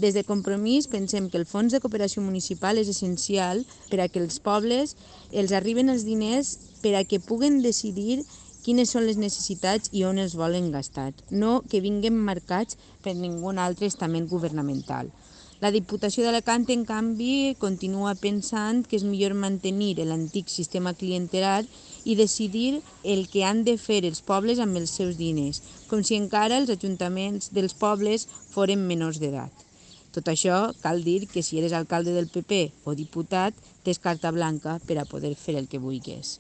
Des de Compromís pensem que el fons de cooperació municipal és essencial per a que els pobles els arriben els diners per a que puguen decidir quines són les necessitats i on els volen gastar, no que vinguin marcats per ningú altre estament governamental. La Diputació d'Alacant, en canvi, continua pensant que és millor mantenir l'antic sistema clientelar i decidir el que han de fer els pobles amb els seus diners, com si encara els ajuntaments dels pobles foren menors d'edat. Tot això cal dir que si eres alcalde del PP o diputat, tens carta blanca per a poder fer el que vulguis.